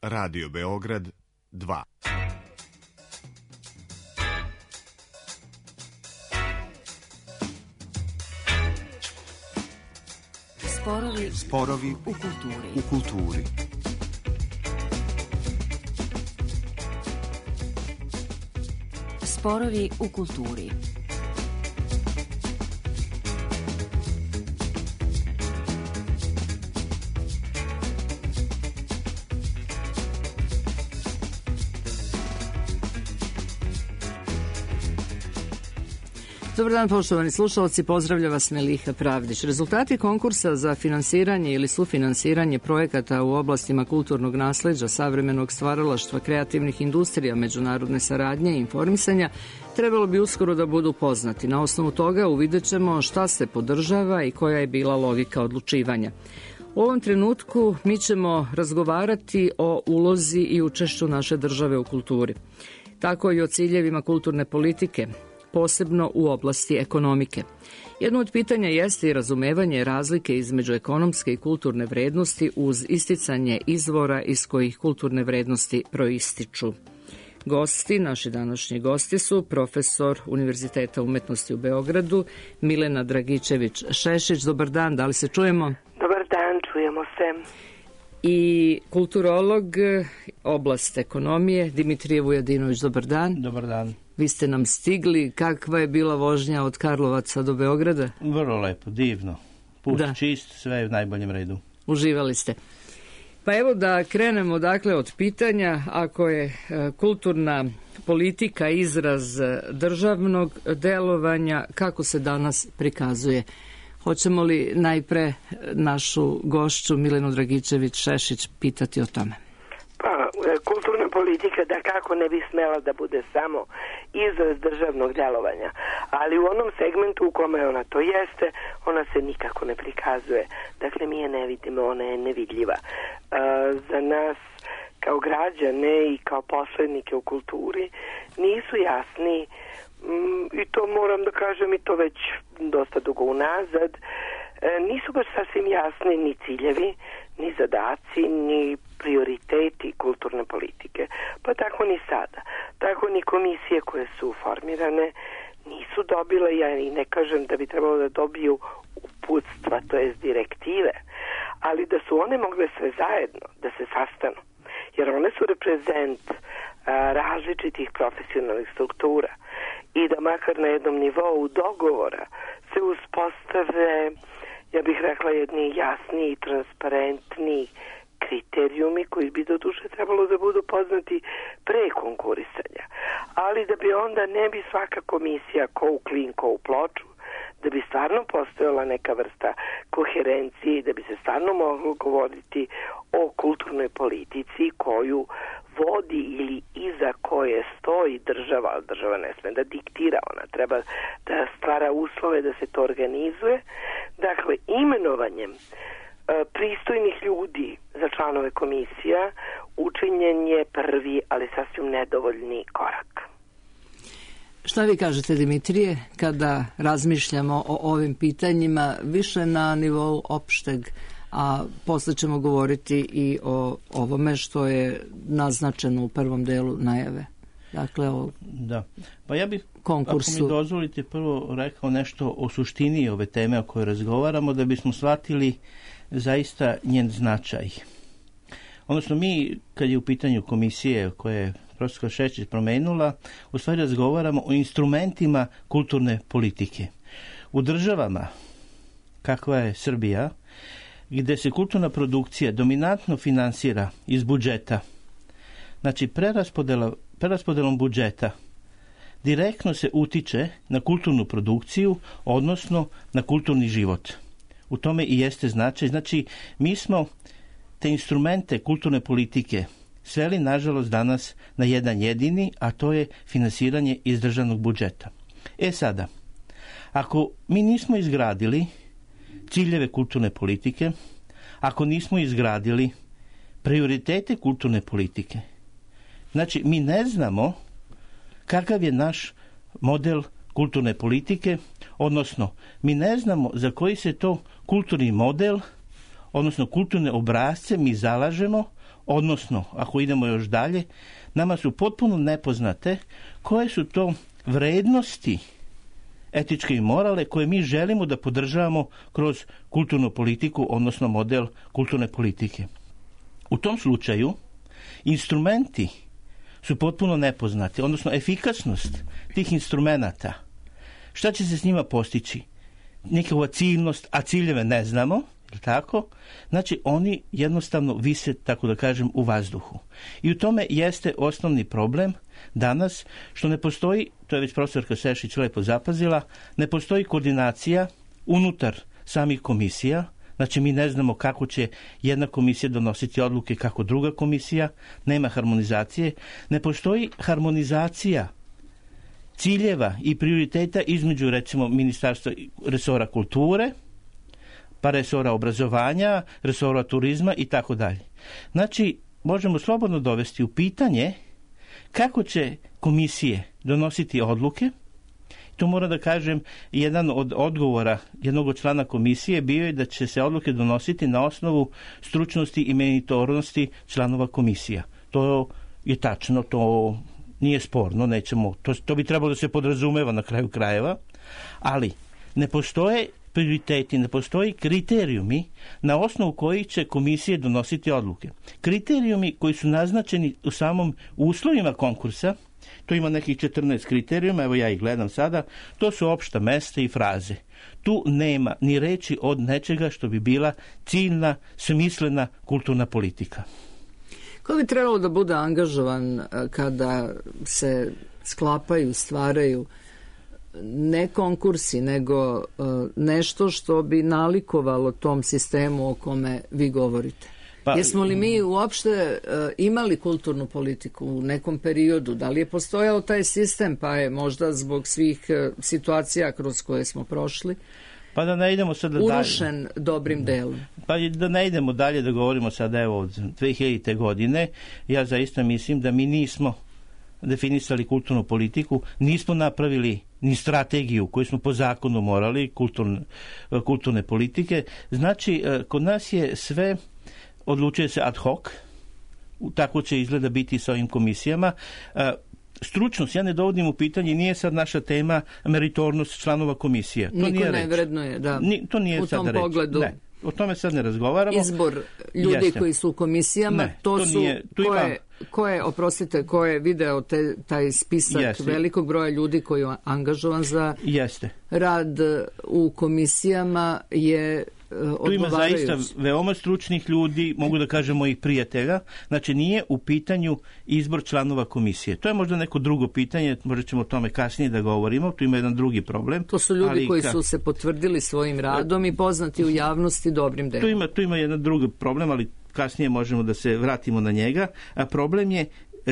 Radio Beograd 2. Sporovi u kulturi. Sporovi u kulturi. Dobar dan, poštovani slušalci, pozdravlja vas Meliha Pravdić. Rezultati konkursa za finansiranje ili sufinansiranje projekata u oblastima kulturnog nasleđa, savremenog stvaralaštva, kreativnih industrija, međunarodne saradnje i informisanja trebalo bi uskoro da budu poznati. Na osnovu toga uvidjet ćemo šta se podržava i koja je bila logika odlučivanja. U ovom trenutku mi ćemo razgovarati o ulozi i učešću naše države u kulturi, tako i o ciljevima kulturne politike, posebno u oblasti ekonomike. Jedno od pitanja jeste i razumevanje razlike između ekonomske i kulturne vrednosti uz isticanje izvora iz kojih kulturne vrednosti proističu. Gosti, naši današnji gosti su profesor Univerziteta umetnosti u Beogradu, Milena Dragičević-Šešić. Dobar dan, da li se čujemo? Dobar dan, čujemo se. I kulturolog, oblast ekonomije, Dimitrije Vujadinović. Dobar dan. Dobar dan. Vi ste nam stigli. Kakva je bila vožnja od Karlovaca do Beograda? Vrlo lepo, divno. Put čist, sve je u najboljem redu. Uživali ste. Pa evo da krenemo dakle od pitanja, ako je kulturna politika izraz državnog delovanja, kako se danas prikazuje? Hoćemo li najpre našu gošću Milenu Dragičević-Šešić pitati o tome? Pa, kulturna politika da kako ne bi smela da bude samo izraz državnog delovanja, ali u onom segmentu u kome ona to jeste, ona se nikako ne prikazuje. Dakle, mi je ne vidimo, ona je nevidljiva. Za nas kao građane i kao posrednike u kulturi nisu jasni, i to moram da kažem i to već dosta dugo unazad, nisu baš sasvim jasni ni ciljevi, ni zadaci, ni prioriteti kulturne politike. Pa tako ni sada. Tako ni komisije koje su formirane nisu dobile, ja i ne kažem da bi trebalo da dobiju uputstva, to jest direktive, ali da su one mogle sve zajedno, da se sastanu. Jer one su reprezent različitih profesionalnih struktura i da makar na jednom nivou dogovora se uspostave, ja bih rekla, jedni jasni i transparentni kriterijumi koji bi do duše trebalo da budu poznati pre konkurisanja. Ali da bi onda ne bi svaka komisija ko u klin, ko u ploču, da bi stvarno postojala neka vrsta koherencije i da bi se stvarno moglo govoriti o kulturnoj politici koju vodi ili iza koje stoji država, ali država ne sme da diktira, ona treba da stvara uslove da se to organizuje. Dakle, imenovanjem pristojnih ljudi za članove komisija učinjen je prvi, ali sasvim nedovoljni korak. Šta vi kažete, Dimitrije, kada razmišljamo o ovim pitanjima više na nivou opšteg, a posle ćemo govoriti i o ovome što je naznačeno u prvom delu najave? Dakle, o Pa ja bih, konkursu. Ako mi dozvolite, prvo rekao nešto o suštini ove teme o kojoj razgovaramo, da bismo shvatili zaista njen značaj. Odnosno, mi, kad je u pitanju komisije koje je profesor Šešić promenula, u stvari razgovaramo o instrumentima kulturne politike. U državama, kakva je Srbija, gde se kulturna produkcija dominantno finansira iz budžeta, znači preraspodelom budžeta, direktno se utiče na kulturnu produkciju, odnosno na kulturni život. U tome i jeste značaj. Znači, mi smo te instrumente kulturne politike sveli, nažalost, danas na jedan jedini, a to je finansiranje iz državnog budžeta. Sada, ako mi nismo izgradili ciljeve kulturne politike, ako nismo izgradili prioritete kulturne politike, znači mi ne znamo kakav je naš model kulturne politike, odnosno mi ne znamo za koji se to kulturni model, odnosno kulturne obrasce mi zalažemo, odnosno, ako idemo još dalje, nama su potpuno nepoznate koje su to vrednosti etičke i morale koje mi želimo da podržavamo kroz kulturnu politiku, odnosno model kulturne politike. U tom slučaju instrumenti su potpuno nepoznati, odnosno efikasnost tih instrumenata. Šta će se s njima postići? Njihova ciljnost, a ciljeve ne znamo, tako? Znači, oni jednostavno vise, tako da kažem, u vazduhu. I u tome jeste osnovni problem danas, što ne postoji, to je već profesorka Sešić lepo zapazila, ne postoji koordinacija unutar samih komisija. Znači, mi ne znamo kako će jedna komisija donositi odluke, kako druga komisija, nema harmonizacije. Ne postoji harmonizacija ciljeva i prioriteta između, recimo, ministarstva resora kulture, pa resora obrazovanja, resora turizma i tako dalje. Znači, možemo slobodno dovesti u pitanje kako će komisije donositi odluke. Tu moram da kažem, jedan od odgovora jednog od člana komisije bio je da će se odluke donositi na osnovu stručnosti i meritornosti članova komisija. To je tačno, to nije sporno, nećemo, to bi trebalo da se podrazumeva na kraju krajeva, ali ne postoje prioriteti, ne postoji kriterijumi na osnovu kojih će komisije donositi odluke. Kriterijumi koji su naznačeni u samom uslovima konkursa, to ima nekih 14 kriterijuma, evo ja ih gledam sada, to su opšta mesta i fraze. Tu nema ni reči od nečega što bi bila ciljna, smislena kulturna politika. Ko bi trebalo da bude angažovan kada se sklapaju, stvaraju ne konkursi, nego nešto što bi nalikovalo tom sistemu o kome vi govorite? Jesmo li mi uopšte imali kulturnu politiku u nekom periodu? Da li je postojao taj sistem, pa je možda zbog svih situacija kroz koje smo prošli pa da ne idemo sada urušen dalje. Dobrim delom? Pa da ne idemo dalje, da govorimo sada evo od 2000. godine, ja zaista mislim da mi nismo definisali kulturnu politiku, nismo napravili ni strategiju koju smo po zakonu morali, kulturne politike. Znači, kod nas je sve odlučuje se ad hoc, tako će izgleda biti sa ovim komisijama. Stručnost, ja ne dovodim u pitanje, nije sad naša tema meritornost članova komisije. To niko ne vrednuje, da. To nije u tom pogledu. Ne, o tome sad ne razgovaramo. Izbor ljudi koji su u komisijama, ko je video taj spisak velikog broja ljudi koji je angažovan za rad u komisijama je tu ima zaista veoma stručnih ljudi, mogu da kažem mojih prijatelja, znači nije u pitanju izbor članova komisije. To je možda neko drugo pitanje, možda ćemo o tome kasnije da govorimo, tu ima jedan drugi problem. To su ljudi koji su se potvrdili svojim radom i poznati u javnosti dobrim delom. Tu ima jedan drugi problem, ali kasnije možemo da se vratimo na njega. A problem je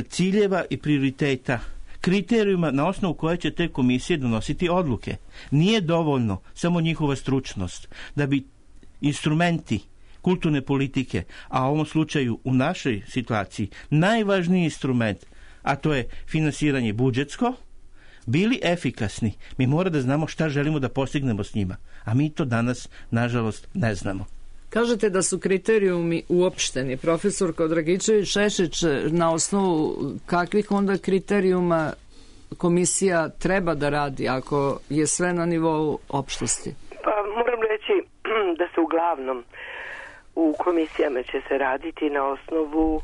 ciljeva i prioriteta, kriterijuma na osnovu koje će te komisije donositi odluke. Nije dovoljno samo njihova stručnost da bi instrumenti kulturne politike, a u ovom slučaju u našoj situaciji najvažniji instrument, a to je finansiranje budžetsko, bili efikasni. Mi moramo da znamo šta želimo da postignemo s njima, a mi to danas, nažalost, ne znamo. Kažete da su kriterijumi uopšteni. Profesor Dragičević-Šešić, na osnovu kakvih onda kriterijuma komisija treba da radi ako je sve na nivou opštosti? Pa moram reći da se uglavnom u komisijama će se raditi na osnovu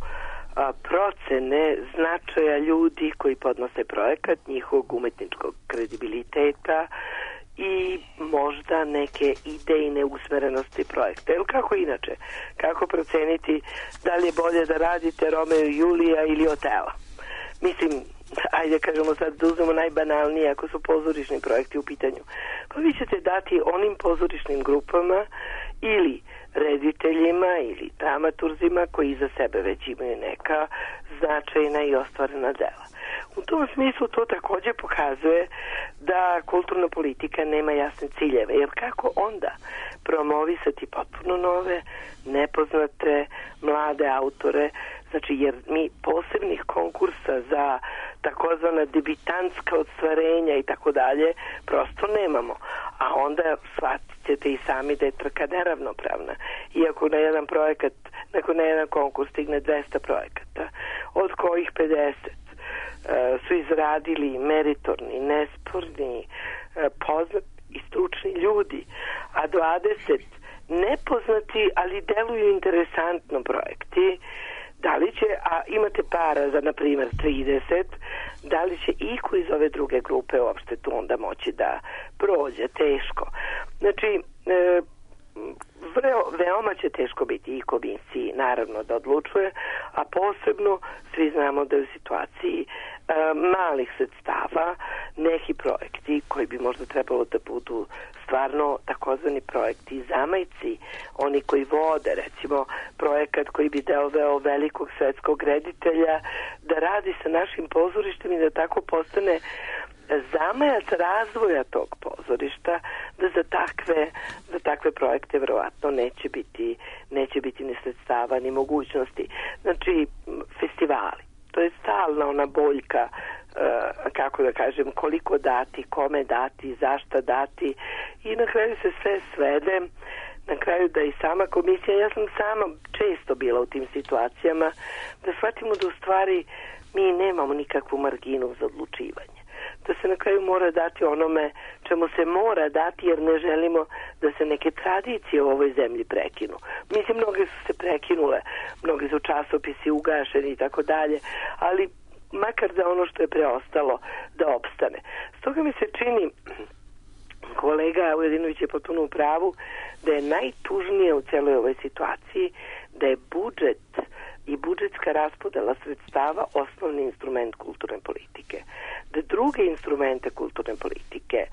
procene značaja ljudi koji podnose projekat, njihovog umetničkog kredibiliteta i možda neke idejne usmerenosti projekta. Ili kako inače? Kako proceniti da li je bolje da radite Romeo i Julija ili Otela? Mislim, ajde kažemo sad da uzmemo najbanalnije ako su pozorišni projekti u pitanju. Pa vi ćete dati onim pozorišnim grupama ili rediteljima ili dramaturzima koji za sebe već imaju neka značajna i ostvarena dela. U tom smislu to također pokazuje da kulturna politika nema jasne ciljeve, jer kako onda promovisati potpuno nove, nepoznate, mlade autore, znači jer mi posebnih konkursa za takozvana debitantska ostvarenja i tako dalje prosto nemamo. a onda shvatit ćete i sami da je trka neravnopravna. Iako na jedan projekat, na jedan konkurs stigne 200 projekata, od kojih 50 su izradili meritorni, nesporni, poznati i stručni ljudi, a 20 nepoznati, ali deluju interesantno projekti, da li će, a imate para za, na primjer, 30, da li će iko iz ove druge grupe uopšte tu onda moći da prođe, teško. Znači, veoma će teško biti i komisiji, naravno, da odlučuje, a posebno svi znamo da je u situaciji malih sredstava neki projekti koji bi možda trebalo da budu stvarno takozvani projekti zamajci, oni koji vode, recimo projekat koji bi doveo velikog svetskog reditelja da radi sa našim pozorištem i da tako postane zamajac razvoja tog pozorišta, da za takve projekte verovatno neće biti ni sredstava ni mogućnosti. Znači, festivali, to je stalna ona boljka, kako da kažem, koliko dati, kome dati, zašta dati, i na kraju se sve svede, na kraju da i sama komisija, ja sam sama često bila u tim situacijama, da shvatimo da u stvari mi nemamo nikakvu marginu za odlučivanje, da se na kraju mora dati onome čemu se mora dati, jer ne želimo da se neke tradicije u ovoj zemlji prekinu. Mislim, mnoge su se prekinule, mnogi su časopisi ugašeni i tako dalje, ali makar da ono što je preostalo da opstane. Stoga mi se čini, kolega Ujedinović je potpuno u pravu, da je najtužnije u celoj ovoj situaciji da je budžet i budžetska raspodela sredstava osnovni instrument kulturne politike. Da druge instrumente kulturne politike,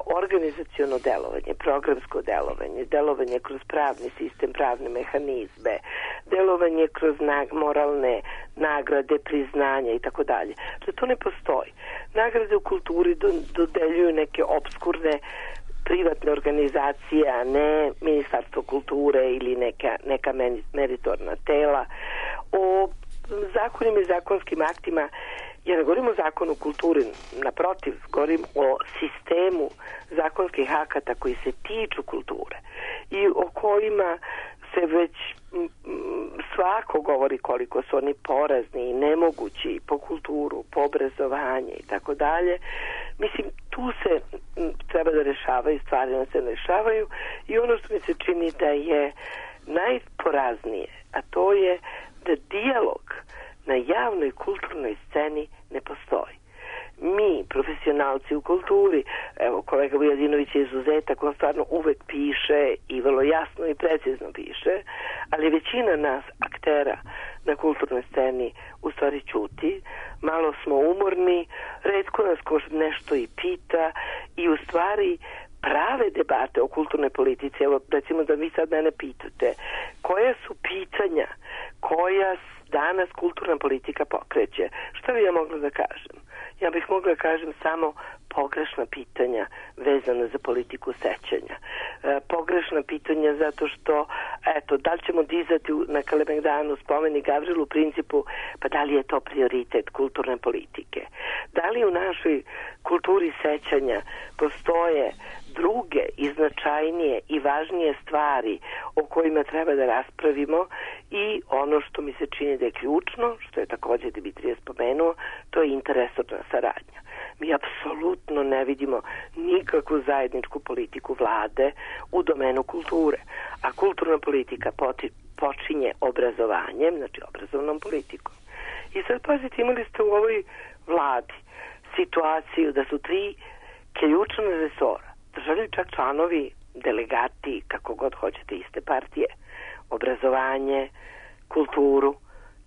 organizaciono delovanje, programsko delovanje, delovanje kroz pravni sistem, pravne mehanizme, delovanje kroz moralne nagrade, priznanja i tako dalje, da to ne postoji. Nagrade u kulturi dodeljuju neke obskurne privatne organizacije, a ne Ministarstvo kulture ili neka meritorna tela. O zakonima i zakonskim aktima, ja ne govorim o zakonu kulturi, naprotiv, govorim o sistemu zakonskih akata koji se tiču kulture i o kojima se već svako govori koliko su oni porazni i nemogući po kulturu, po obrazovanje i tako dalje. Mislim, tu se treba da rešavaju stvari, da se rešavaju, i ono što mi se čini da je najporaznije, a to je da dijalog na javnoj kulturnoj sceni ne postoji. Mi, profesionalci u kulturi, evo, kolega Vujadinović je izuzetak, on stvarno uvek piše i vrlo jasno i precizno piše, ali većina nas, aktera na kulturnoj sceni, u stvari ćuti, malo smo umorni, retko nas ko nešto i pita, i u stvari prave debate o kulturnoj politici, evo, recimo da vi sad mene pitate, koja su pitanja koja danas kulturna politika pokreće, šta bi ja mogla da kažem? Ja bih mogla da kažem samo pogrešna pitanja vezana za politiku sećanja. Pogrešna pitanja zato što, eto, da li ćemo dizati na Kalemegdanu spomenik Gavrilu Principu, pa da li je to prioritet kulturne politike? Da li u našoj kulturi sećanja postoje druge i značajnije i važnije stvari o kojima treba da raspravimo, i ono što mi se čini da je ključno, što je također Dimitrije spomenuo, to je interesorna saradnja. Mi apsolutno ne vidimo nikakvu zajedničku politiku vlade u domenu kulture, a kulturna politika počinje obrazovanjem, znači obrazovnom politikom. I sad pazite, imali ste u ovoj vladi situaciju da su 3 ključna resora držali čak članovi, delegati, kako god hoćete, iste partije, obrazovanje, kulturu,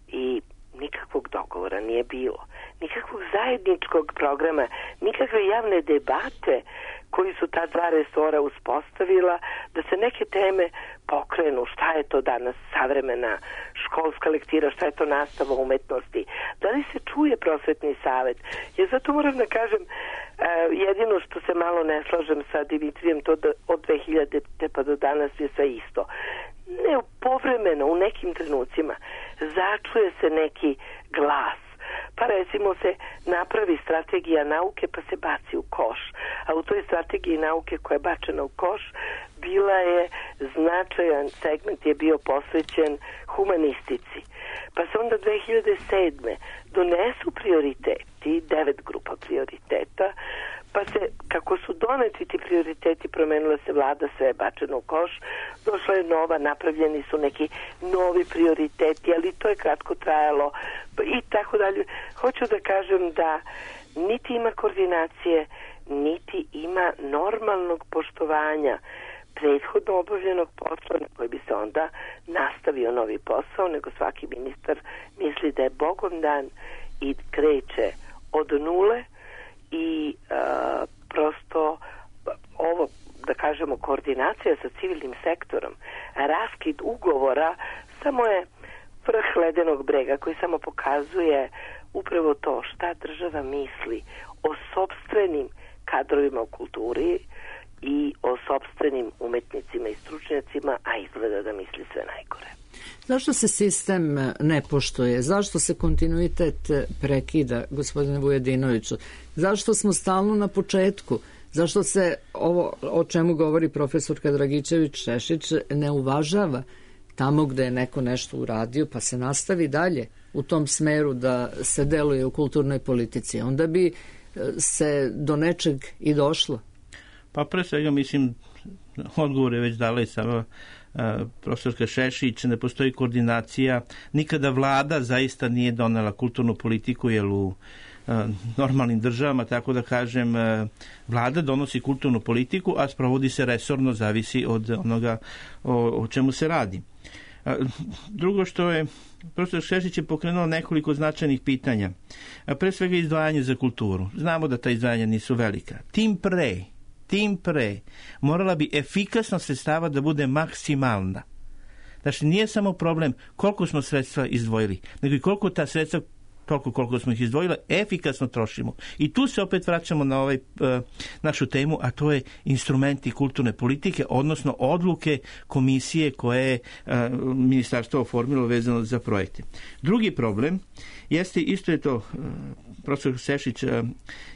i nikakvog dogovora nije bilo. Nikakvog zajedničkog programa, nikakve javne debate koji su ta 2 resora uspostavila, da se neke teme pokrenu, šta je to danas savremena školska lektira, šta je to nastava umetnosti, da li se čuje prosvetni savet. Ja zato moram da kažem, jedino što se malo ne slažem sa Dimitrijem, to da od 2000. pa do danas je sve isto. Ne, povremeno, u nekim trenucima začuje se neki glas, Pa recimo se napravi strategija nauke pa se baci u koš. A u toj strategiji nauke koja je bačena u koš bila je značajan segment je bio posvećen humanistici. Pa se onda 2007. donesu prioriteti, 9 grupa prioriteta, pa se, kako su doneti ti prioriteti, promenila se vlada, sve je bačeno u koš, došla je nova, napravljeni su neki novi prioriteti, ali to je kratko trajalo i tako dalje. Hoću da kažem da niti ima koordinacije, niti ima normalnog poštovanja prethodno obavljenog posla na koji bi se onda nastavio novi posao, nego svaki ministar misli da je Bogom dan i kreće od nule i prosto ovo, da kažemo, koordinacija sa civilnim sektorom, raskid ugovora samo je vrh ledenog brega koji samo pokazuje upravo to šta država misli o sopstvenim kadrovima u kulturi i o sopstvenim umetnicima i stručnjacima, a izgleda da misli sve najgore. Zašto se sistem ne poštuje? Zašto se kontinuitet prekida, gospodine Vujedinoviću? Zašto smo stalno na početku? Zašto se ovo o čemu govori profesorka Dragičević-Šešić ne uvažava tamo gde je neko nešto uradio, pa se nastavi dalje u tom smeru da se deluje u kulturnoj politici? Onda bi se do nečeg i došlo. Pa pre svega mislim, odgovor je već dala i sama profesorka Šešić, ne postoji koordinacija. Nikada vlada zaista nije donela kulturnu politiku, jer u normalnim državama, tako da kažem, vlada donosi kulturnu politiku, a sprovodi se resorno, zavisi od onoga o čemu se radi. Drugo što je, profesor Šešić je pokrenuo nekoliko značajnih pitanja. Pre svega izdvajanje za kulturu. Znamo da ta izdvajanja nisu velika. Tim pre morala bi efikasnost sredstava da bude maksimalna. Znači, nije samo problem koliko smo sredstva izdvojili, nego i koliko ta sredstva, toliko koliko smo ih izdvojili, efikasno trošimo. I tu se opet vraćamo na našu temu, a to je instrumenti kulturne politike, odnosno odluke komisije koje je ministarstvo oformilo vezano za projekte. Drugi problem jeste, isto je to profesor Šešić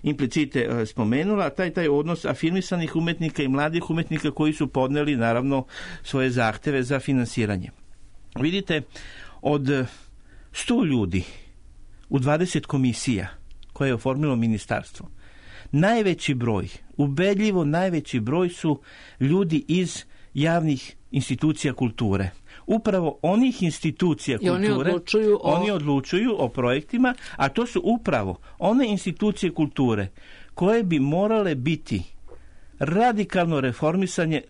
implicite spomenula, taj odnos afirmisanih umetnika i mladih umetnika koji su podneli naravno svoje zahteve za finansiranje. Vidite, od 100 ljudi u 20 komisija koje je oformilo ministarstvo, najveći broj, ubedljivo najveći broj su ljudi iz javnih institucija kulture. Upravo onih institucija kulture, oni odlučuju o projektima, a to su upravo one institucije koje bi morale biti radikalno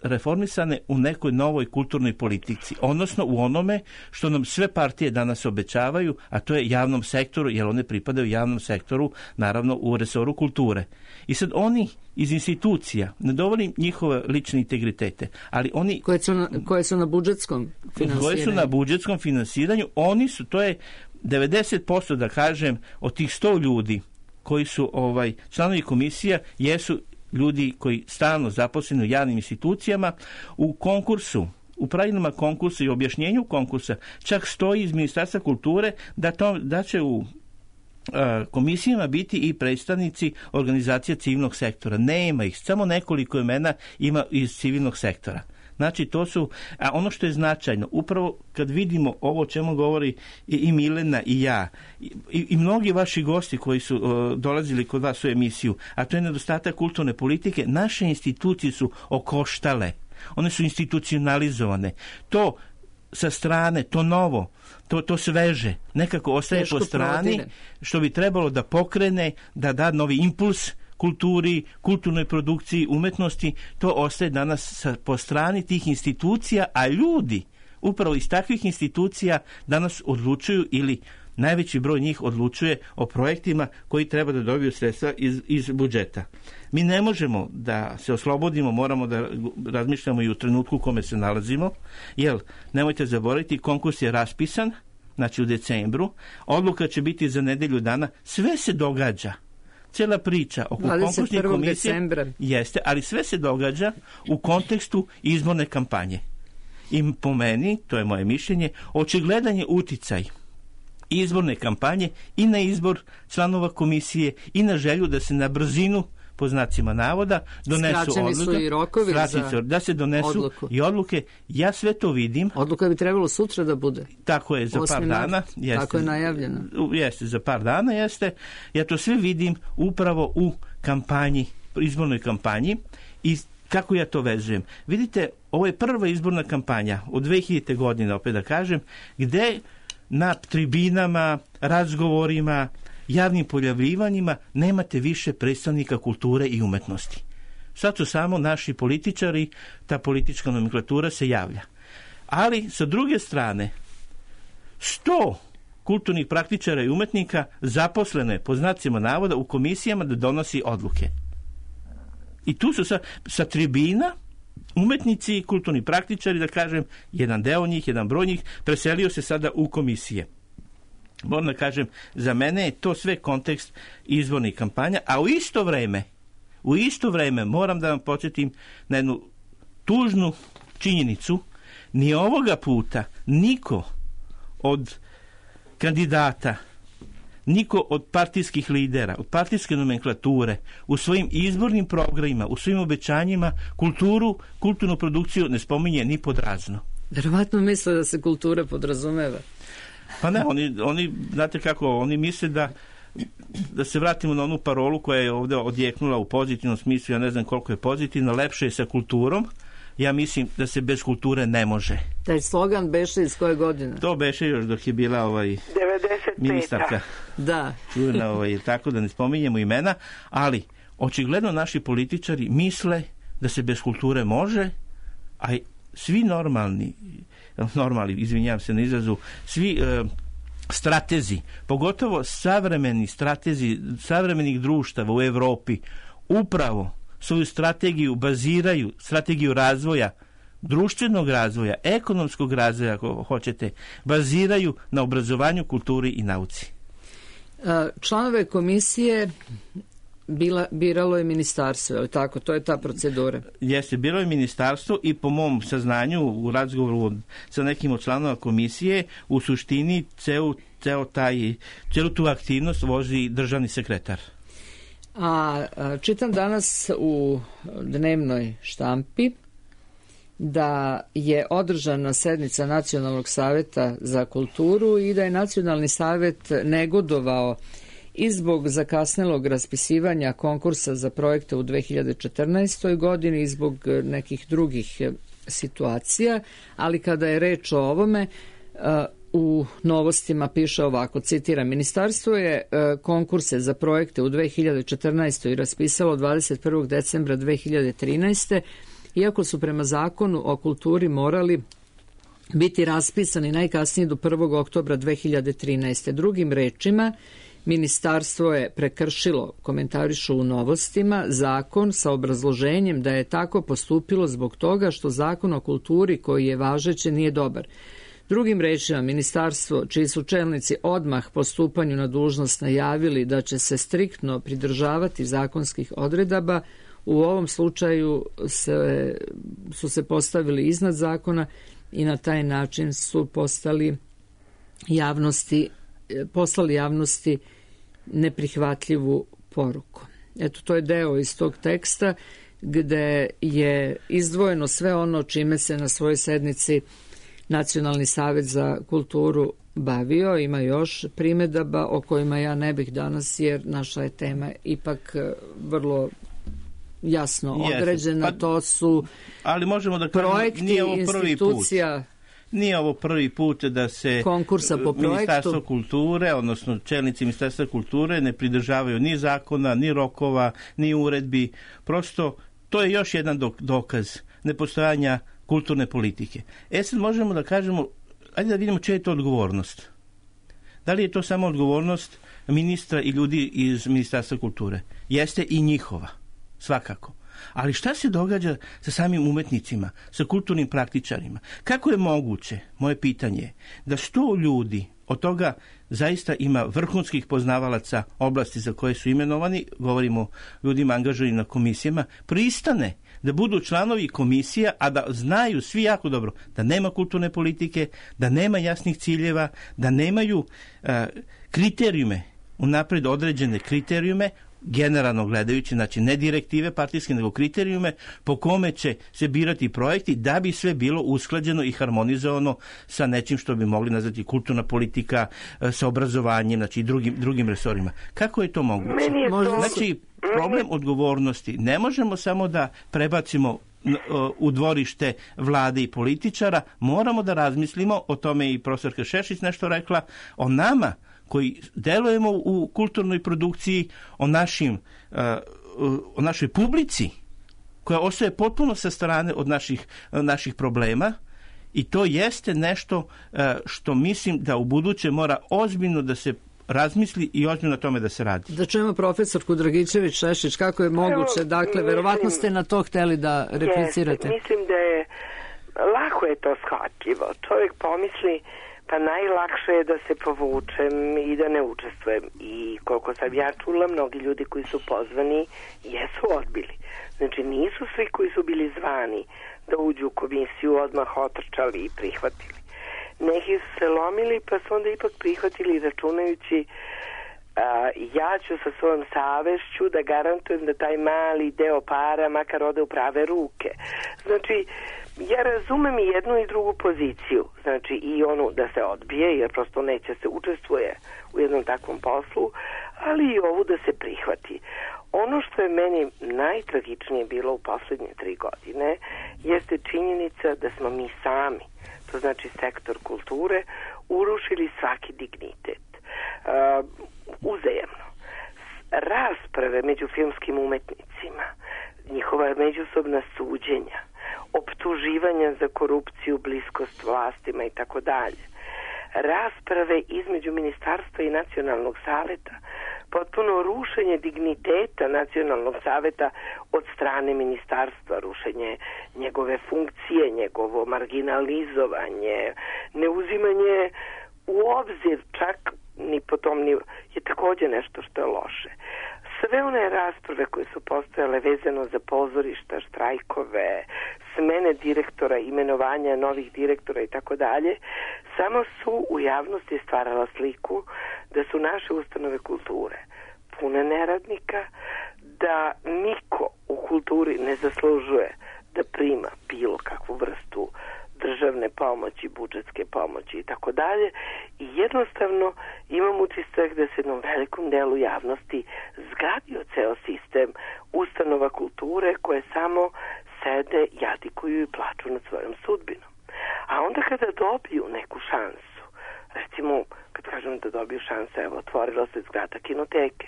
reformisane u nekoj novoj kulturnoj politici, odnosno u onome što nam sve partije danas obećavaju, a to je javnom sektoru, jer one pripadaju javnom sektoru, naravno u resoru kulture. I sad oni iz institucija, ne dovolim njihove lične integritete, ali oni koje su na budžetskom finansiranju. Koje su na budžetskom finansiranju, oni su, to je 90%, da kažem, od tih 100 ljudi koji su članovi komisija, jesu ljudi koji stalno zaposleni u javnim institucijama. U konkursu, u pravilima konkursa i objašnjenju konkursa čak stoji iz Ministarstva kulture da će u komisijama biti i predstavnici organizacija civilnog sektora. Nema ih, samo nekoliko imena ima iz civilnog sektora. Znači, to su, a ono što je značajno, upravo kad vidimo ovo o čemu govori i Milena i ja, i mnogi vaši gosti koji su dolazili kod vas u emisiju, a to je nedostatak kulturne politike, naše institucije su okoštale, one su institucionalizovane. To sa strane, to novo, to sveže, nekako ostaje po strani, što bi trebalo da pokrene, da da novi impuls kulturi, kulturnoj produkciji, umetnosti, to ostaje danas po strani tih institucija, a ljudi upravo iz takvih institucija danas odlučuju, ili najveći broj njih odlučuje o projektima koji treba da dobiju sredstva iz budžeta. Mi ne možemo da se oslobodimo, moramo da razmišljamo i u trenutku u kome se nalazimo, jer nemojte zaboraviti, konkurs je raspisan, znači u decembru, odluka će biti za nedelju dana, sve se događa. Cijela priča oko konkursnih komisije jeste, ali sve se događa u kontekstu izborne kampanje. I po meni, to je moje mišljenje, očigledan je uticaj izborne kampanje i na izbor članova komisije i na želju da se na brzinu, po znacima navoda, donesu odluke, da se donesu i odluke. Ja sve to vidim. Odluka bi trebalo sutra da bude. Tako je, za par dana. Jeste, tako je najavljeno. Jeste, za par dana jeste. Ja to sve vidim upravo u kampanji, izbornoj kampanji, i kako ja to vezujem. Vidite, ovo je prva izborna kampanja od 2000. godine, opet da kažem, gde na tribinama, razgovorima, javnim pojavljivanjima nemate više predstavnika kulture i umetnosti. Sad su samo naši političari, ta politička nomenklatura se javlja. Ali, sa druge strane, 100 kulturnih praktičara i umetnika zaposlene, po znacima navoda, u komisijama da donosi odluke. I tu su sa tribina umetnici i kulturni praktičari, da kažem, jedan deo njih, jedan broj njih, preselio se sada u komisije. Moram da kažem, za mene je to sve kontekst izbornih kampanja, a u isto vreme moram da vam podsjetim na jednu tužnu činjenicu. Ni ovoga puta niko od kandidata, niko od partijskih lidera, od partijske nomenklature u svojim izbornim programima, u svojim obećanjima kulturnu produkciju ne spominje ni pod razno. Verovatno misle da se kultura podrazumeva. Pa ne, oni znate kako, oni misle da se vratimo na onu parolu koja je ovdje odjeknula u pozitivnom smislu, ja ne znam koliko je pozitivno, lepše je sa kulturom. Ja mislim da se bez kulture ne može. Taj slogan beše iz koje godine? To beše još dok je bila 95. ministarka. Da. Čujena, tako da ne spominjemo imena, ali očigledno naši političari misle da se bez kulture može, a svi normalni, izvinjavam se na izrazu, svi stratezi, pogotovo savremeni stratezi savremenih društava u Evropi, upravo svoju strategiju baziraju, strategiju razvoja, društvenog razvoja, ekonomskog razvoja, ako hoćete, baziraju na obrazovanju, kulturi i nauci. Članove komisije biralo je ministarstvo, je li tako? To je ta procedura. Jeste, biralo je ministarstvo i po mom saznanju u razgovoru sa nekim od članova komisije, u suštini celu tu aktivnost vozi državni sekretar. A čitam danas u dnevnoj štampi da je održana sednica Nacionalnog saveta za kulturu i da je Nacionalni savet negodovao i zbog zakasnelog raspisivanja konkursa za projekte u 2014. godini i zbog nekih drugih situacija, ali kada je reč o ovome, u novostima piše ovako, citiram, ministarstvo je konkurse za projekte u 2014. raspisalo 21. decembra 2013. iako su prema zakonu o kulturi morali biti raspisani najkasnije do 1. oktobra 2013. Drugim rečima, ministarstvo je prekršilo, komentarišu u novostima, zakon sa obrazloženjem da je tako postupilo zbog toga što zakon o kulturi koji je važeći nije dobar. Drugim rečima, ministarstvo, čiji su čelnici odmah po stupanju na dužnost najavili da će se striktno pridržavati zakonskih odredaba, u ovom slučaju su se postavili iznad zakona i na taj način su poslali javnosti neprihvatljivu poruku. Eto, to je deo iz tog teksta gde je izdvojeno sve ono čime se na svojoj sednici Nacionalni savet za kulturu bavio. Ima još primedaba o kojima ja ne bih danas, jer naša je tema ipak vrlo jasno određena. To su ali možemo da projekti, institucija. Nije ovo prvi put da se Ministarstvo kulture, odnosno čelnici Ministarstva kulture ne pridržavaju ni zakona, ni rokova, ni uredbi. Prosto to je još jedan dokaz nepostojanja kulturne politike. Sad možemo da kažemo, ajde da vidimo čija je to odgovornost. Da li je to samo odgovornost ministra i ljudi iz Ministarstva kulture? Jeste i njihova, svakako. Ali šta se događa sa samim umetnicima, sa kulturnim praktičarima? Kako je moguće, moje pitanje je, da 100 ljudi, od toga zaista ima vrhunskih poznavalaca oblasti za koje su imenovani, govorimo o ljudima angažovanim na komisijama, pristane da budu članovi komisija, a da znaju svi jako dobro da nema kulturne politike, da nema jasnih ciljeva, da nemaju kriterijume, unaprijed određene kriterijume, generalno gledajući, znači ne direktive partijske, nego kriterijume po kome će se birati projekti da bi sve bilo usklađeno i harmonizovano sa nečim što bi mogli nazvati kulturna politika, sa obrazovanjem, znači i drugim resorima. Kako je to moguće? Znači, problem odgovornosti ne možemo samo da prebacimo u dvorište vlade i političara, moramo da razmislimo, o tome i profesorka Šešić nešto rekla, o nama koji delujemo u kulturnoj produkciji, o našoj publici koja ostaje potpuno sa strane od naših problema, i to jeste nešto što mislim da u buduće mora ozbiljno da se razmisli i ozbiljno na tome da se radi. Da čujemo profesorku Dragičević-Šešić, kako je moguće, dakle, verovatno ste na to hteli da replicirate. Mislim da je, lako je to shvatljivo. Čovjek pomisli, pa najlakše je da se povučem i da ne učestvujem. I koliko sam ja čula, mnogi ljudi koji su pozvani jesu odbili. Znači nisu svi koji su bili zvani da uđu u komisiju odmah otrčali i prihvatili. Neki su se lomili pa su onda ipak prihvatili računajući ja ću sa svojom savešću da garantujem da taj mali deo para makar ode u prave ruke. Znači, ja razumem i jednu i drugu poziciju, znači i onu da se odbije jer prosto neće se učestvuje u jednom takvom poslu, ali i ovu da se prihvati. Ono što je meni najtragičnije bilo u posljednje 3 godine jeste činjenica da smo mi sami, to znači sektor kulture, urušili svaki dignitet. Uzajemno. Rasprave među filmskim umetnicima, njihova međusobna suđenja, optuživanja za korupciju, bliskost vlastima i tako dalje. Rasprave između ministarstva i nacionalnog saveta, potpuno rušenje digniteta nacionalnog saveta od strane ministarstva, rušenje njegove funkcije, njegovo marginalizovanje, neuzimanje u obzir čak ni po tom je također nešto što je loše. Sve one rasprave koje su postojale vezano za pozorišta, štrajkove, smene direktora, imenovanja novih direktora i tako dalje, samo su u javnosti stvarala sliku da su naše ustanove kulture pune neradnika, da niko u kulturi ne zaslužuje da prima bilo kakvu vrstu državne pomoći, budžetske pomoći i tako dalje, i jednostavno imam utisak da se jednom velikom delu javnosti zgradio ceo sistem ustanova kulture koje samo sede, jadikuju i plaču nad svojom sudbinom. A onda kada dobiju neku šansu, recimo kad kažem da dobiju šansu, evo, otvorila se zgrada kinoteke,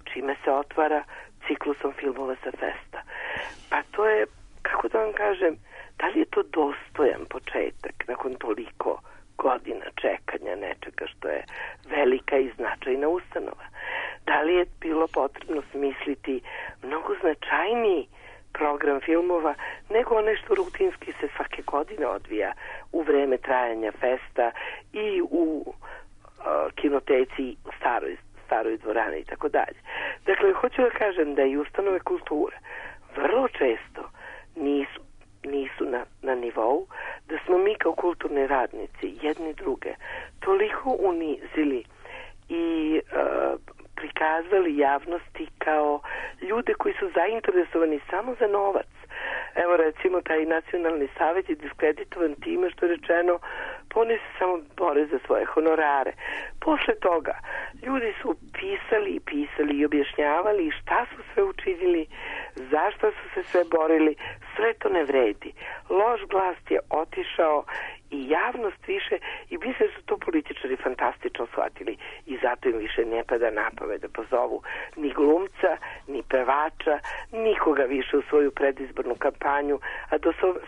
čime se otvara ciklusom filmova sa festa. Pa to je, kako da vam kažem, da li je to dostojan početak nakon toliko godina čekanja nečega što je velika i značajna ustanova? Da li je bilo potrebno smisliti mnogo značajniji program filmova nego one što rutinski se svake godine odvija u vreme trajanja festa i u kinoteci, u staroj dvorani i tako dalje. Dakle, hoću da kažem da i ustanove kulture vrlo često nisu na nivou, da smo mi kao kulturni radnici jedni druge toliko unizili i prikazali javnosti kao ljude koji su zainteresovani samo za novac. Evo recimo taj nacionalni savjet je diskreditovan time što je rečeno pa oni se samo bore za svoje honorare. Posle toga ljudi su pisali i objašnjavali šta su sve učinili, zašto su se sve borili, sve to ne vredi. Loš glas je otišao i javnost više, i mislim da su to političari fantastično shvatili i zato im više ne pada na pamet da pozovu ni glumca, ni pevača, nikoga više u svoju predizbornu kampanju, a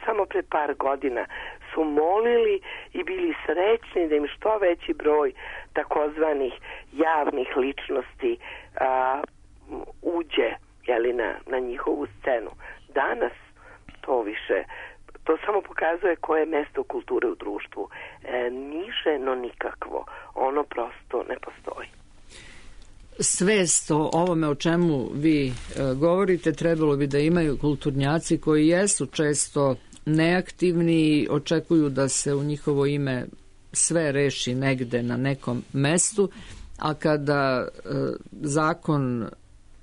samo pre par godina su molili i bili srećni da im što veći broj takozvanih javnih ličnosti uđe na njihovu scenu. Danas to više, to samo pokazuje koje je mesto kulture u društvu. Niže, no nikakvo. Ono prosto ne postoji. svest o ovome o čemu vi govorite trebalo bi da imaju kulturnjaci koji jesu često neaktivni i očekuju da se u njihovo ime sve reši negde na nekom mestu, a kada zakon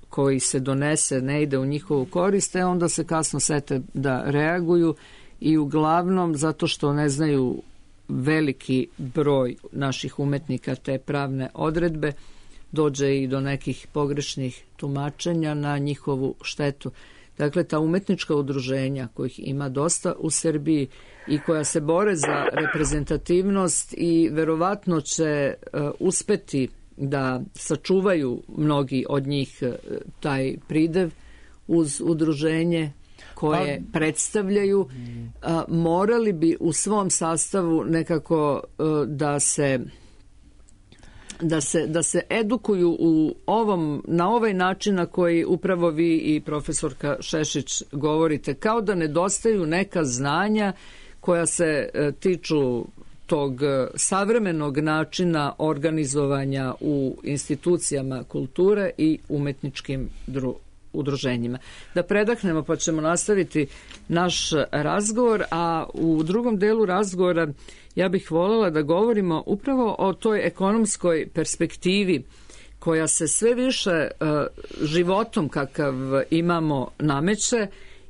koji se donese ne ide u njihovu korist, onda se kasno sete da reaguju i uglavnom zato što ne znaju veliki broj naših umetnika te pravne odredbe, dođe i do nekih pogrešnih tumačenja na njihovu štetu. Dakle, ta umetnička udruženja kojih ima dosta u Srbiji i koja se bore za reprezentativnost i verovatno će uspeti da sačuvaju mnogi od njih taj pridev uz udruženje koje predstavljaju, morali bi u svom sastavu nekako da se edukuju na ovaj način na koji upravo vi i profesorka Šešić govorite, kao da nedostaju neka znanja koja se tiču tog savremenog načina organizovanja u institucijama kulture i umetničkim udruženjima. Da predahnemo pa ćemo nastaviti naš razgovor, a u drugom delu razgovora ja bih voljela da govorimo upravo o toj ekonomskoj perspektivi koja se sve više životom kakav imamo nameće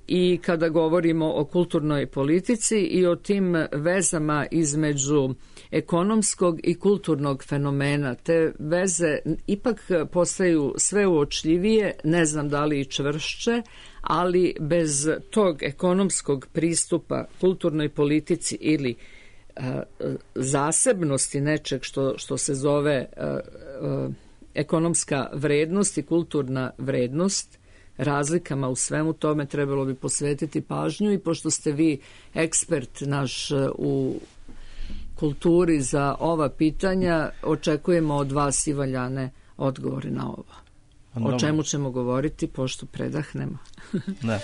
i kada govorimo o kulturnoj politici i o tim vezama između ekonomskog i kulturnog fenomena. Te veze ipak postaju sve uočljivije, ne znam da li i čvršće, ali bez tog ekonomskog pristupa kulturnoj politici ili zasebnosti nečeg što se zove ekonomska vrednost i kulturna vrednost, razlikama u svemu tome trebalo bi posvetiti pažnju i pošto ste vi ekspert naš u kulturi za ova pitanja, očekujemo od vas i valjane odgovore na ovo. O čemu ćemo govoriti pošto predahnemo. Da.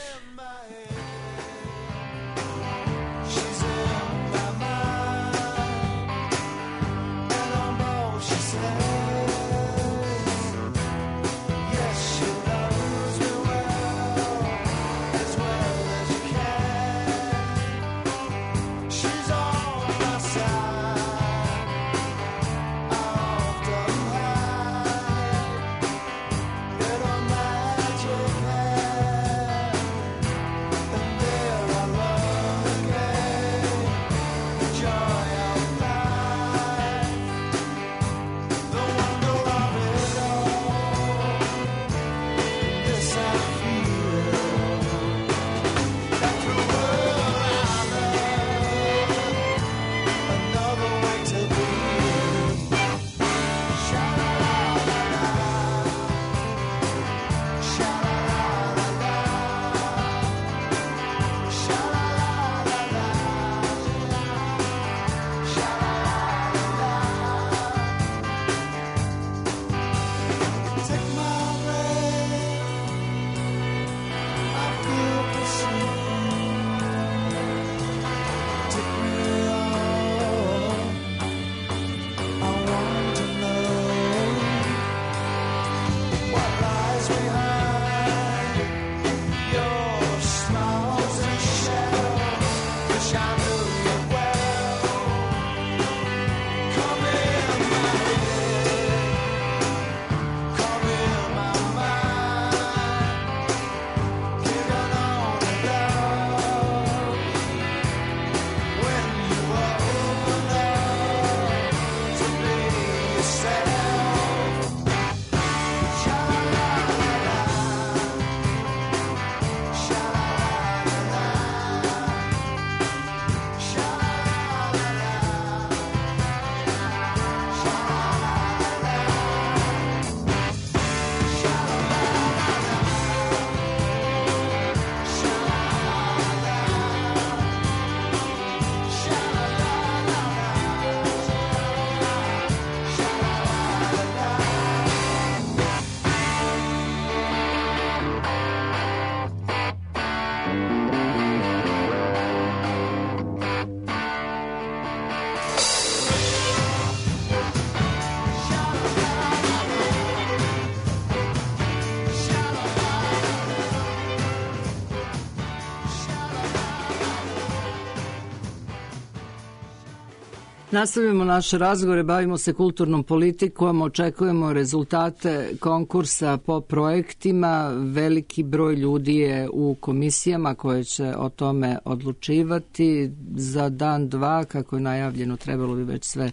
Nastavljamo naše razgovore, bavimo se kulturnom politikom, očekujemo rezultate konkursa po projektima. Veliki broj ljudi je u komisijama koje će o tome odlučivati. Za dan, dva, kako je najavljeno, trebalo bi već sve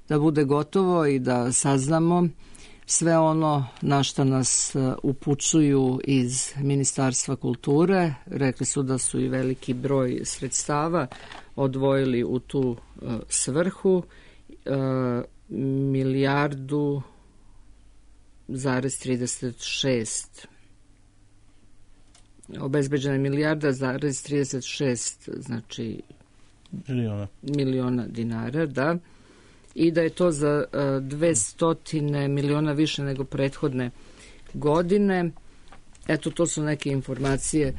da bude gotovo i da saznamo sve ono na što nas upućuju iz Ministarstva kulture. Rekli su da su i veliki broj sredstava odvojili u tu svrhu, 1,36 obezbeđena je 1,36 znači miliona dinara, da, i da je to za 200 miliona više nego prethodne godine. Eto, to su neke informacije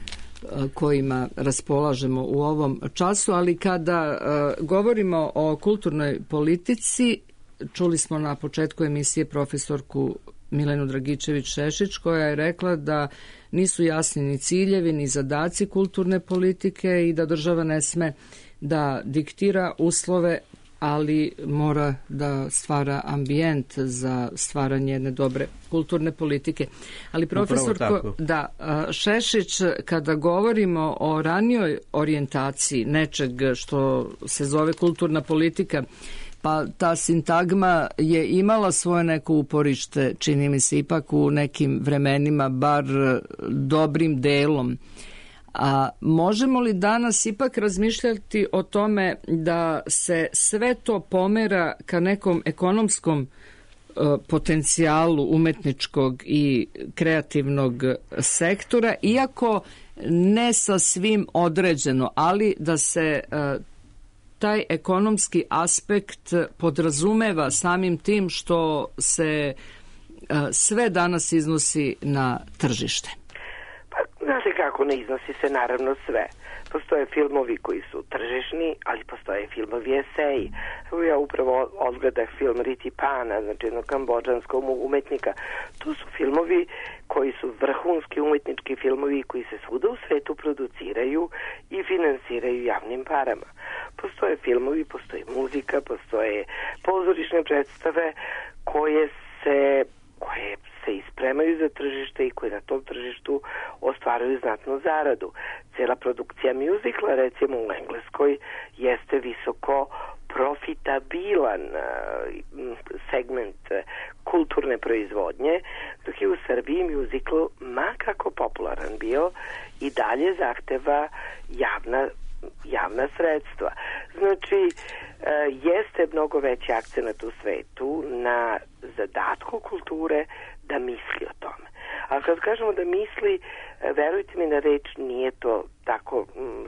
kojima raspolažemo u ovom času, ali kada govorimo o kulturnoj politici, čuli smo na početku emisije profesorku Milenu Dragičević-Šešić, koja je rekla da nisu jasni ni ciljevi ni zadaci kulturne politike i da država ne sme da diktira uslove, ali mora da stvara ambijent za stvaranje jedne dobre kulturne politike. Ali profesorko, da, Šešić, kada govorimo o ranijoj orijentaciji nečeg što se zove kulturna politika, pa ta sintagma je imala svoje neko uporište, čini mi se, ipak u nekim vremenima, bar dobrim delom. A možemo li danas ipak razmišljati o tome da se sve to pomera ka nekom ekonomskom potencijalu umetničkog i kreativnog sektora, iako ne sa svim određeno, ali da se taj ekonomski aspekt podrazumeva samim tim što se sve danas iznosi na tržište? Znate kako, ne iznosi se naravno sve. Postoje filmovi koji su tržišni, ali postoje filmovi eseji. Evo ja upravo odgledah film Riti Pana, znači jednog kambodžanskog umetnika. To su filmovi koji su vrhunski umetnički filmovi koji se svuda u svetu produciraju i finansiraju javnim parama. Postoje filmovi, postoji muzika, postoje pozorišne predstave koje se ispremaju za tržište i koji na tom tržištu ostvaruju znatnu zaradu. Cela produkcija mjuzikla, recimo u Engleskoj, jeste visoko profitabilan segment kulturne proizvodnje, dok je u Srbiji mjuzikl, ma kako popularan bio, i dalje zahteva javna sredstva. Znači, jeste mnogo veći akcenat u svetu na zadatku kulture da misli o tome. Ali kad kažemo da misli, verujte mi na reč, nije to tako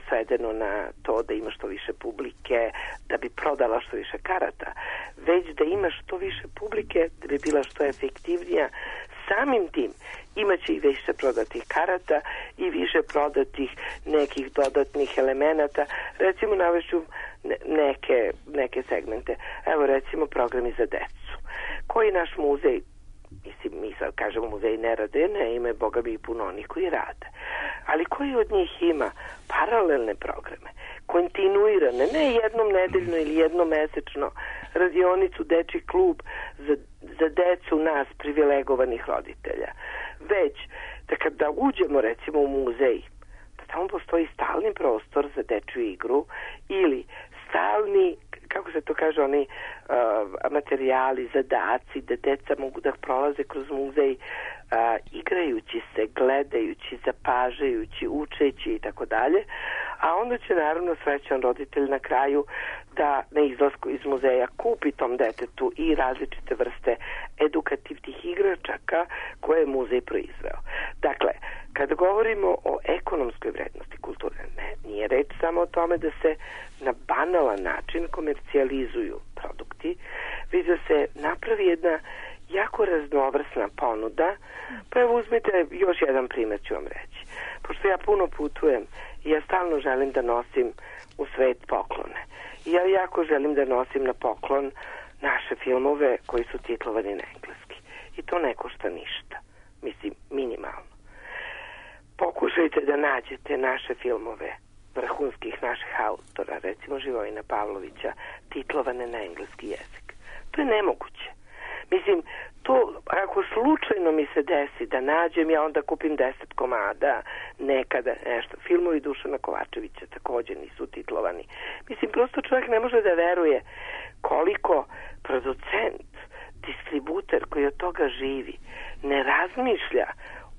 svedeno na to da ima što više publike, da bi prodala što više karata, već da ima što više publike, da bi bila što efektivnija. Samim tim imaće i više prodatih karata i više prodatih nekih dodatnih elemenata. Recimo, navešću neke segmente. Evo, recimo, programi za decu. Koji naš muzej, mislim, mi sad kažemo muzej ne rade, ne ima, boga bi i puno onih koji rade. Ali koji od njih ima paralelne programe, kontinuirane, ne jednom nedeljno ili jednom mesečno, radionicu, dečji klub za decu nas privilegovanih roditelja. Već da kada uđemo recimo u muzej, da tamo postoji stalni prostor za dečju igru ili stalni, kako se to kaže, oni materijali, zadaci, da deca mogu da prolaze kroz muzej igrajući se, gledajući, zapažajući, učeći i tako dalje, a onda će naravno srećan roditelj na kraju da na izlasku iz muzeja kupi tom detetu i različite vrste edukativnih igračaka koje je muzej proizveo. Dakle, kada govorimo o ekonomskoj vrednosti kulture, nije reč samo o tome da se na banalan način komercijalizuju produkti, već da se napravi jedna jako raznovrsna ponuda. Pa evo uzmite još jedan primjer ću vam reći. Pošto ja puno putujem i ja stalno želim da nosim u svet poklone. I ja jako želim da nosim na poklon naše filmove koji su titlovani na engleski. I to ne košta ništa. Mislim, minimalno. Pokušajte da nađete naše filmove vrhunskih naših autora, recimo Živojina Pavlovića, titlovane na engleski jezik. To je nemoguće. Mislim, to ako slučajno mi se desi da nađem, ja onda kupim 10 komada, nekada nešto. Filmovi Dušana Kovačevića također nisu titlovani. Mislim, prosto čovjek ne može da veruje koliko producent, distributer koji od toga živi, ne razmišlja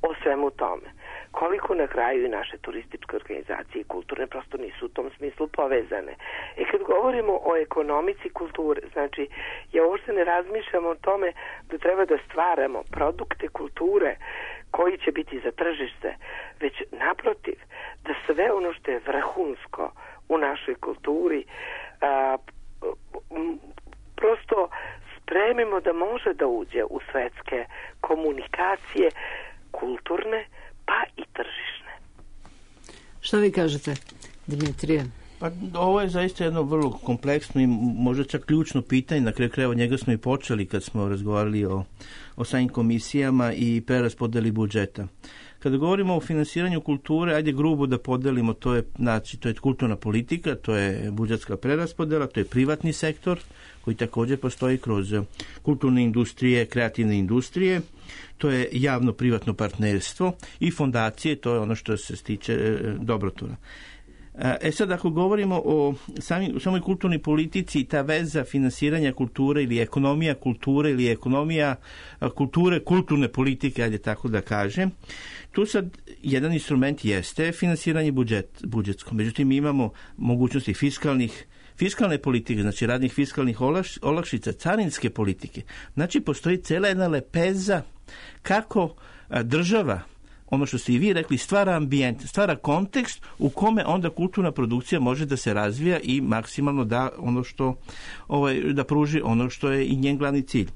o svemu tome. Koliko na kraju i naše turističke organizacije i kulturne prosto nisu u tom smislu povezane. I kad govorimo o ekonomici kulture, znači ja uopšte ne razmišljam o tome da treba da stvaramo produkte kulture koji će biti za tržište, već naprotiv, da sve ono što je vrhunsko u našoj kulturi prosto spremimo da može da uđe u svetske komunikacije kulturne pa i tržišne. Što vi kažete, Dimitrije? Pa ovo je zaista jedno vrlo kompleksno i možda čak ključno pitanje, na kraju krajeva njega smo i počeli kad smo razgovarali o samim komisijama i preraspodeli budžeta. Kada govorimo o finansiranju kulture, ajde grubo da podelimo, to je kulturna politika, to je budžetska preraspodela, to je privatni sektor koji također postoji kroz kulturne industrije, kreativne industrije, to je javno-privatno partnerstvo i fondacije, to je ono što se tiče dobrotvora. Sad, ako govorimo o samoj kulturnoj politici, ta veza finansiranja kulture ili ekonomija kulture ili ekonomija kulture, kulturne politike, ajde tako da kažem, tu sad jedan instrument jeste finansiranje budžetsko. Međutim, mi imamo mogućnosti fiskalne politike, znači radnih fiskalnih olakšica, carinske politike. Znači, postoji cela jedna lepeza kako država, ono što ste i vi rekli, stvara ambijent, stvara kontekst u kome onda kulturna produkcija može da se razvija i maksimalno da ono što da pruži ono što je i njen glavni cilj.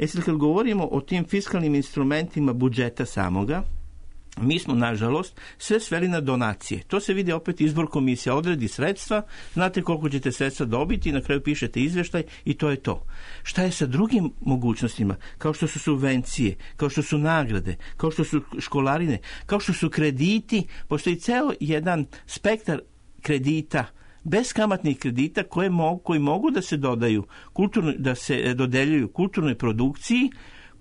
Sad kad govorimo o tim fiskalnim instrumentima budžeta samoga, mi smo, nažalost, sve sveli na donacije. To se vidi opet, izbor komisija odredi sredstva, znate koliko ćete sredstva dobiti, na kraju pišete izveštaj i to je to. Šta je sa drugim mogućnostima, kao što su subvencije, kao što su nagrade, kao što su školarine, kao što su krediti, postoji ceo jedan spektar kredita, beskamatnih kredita koji mogu da se dodaju, da se dodeljuju kulturnoj produkciji,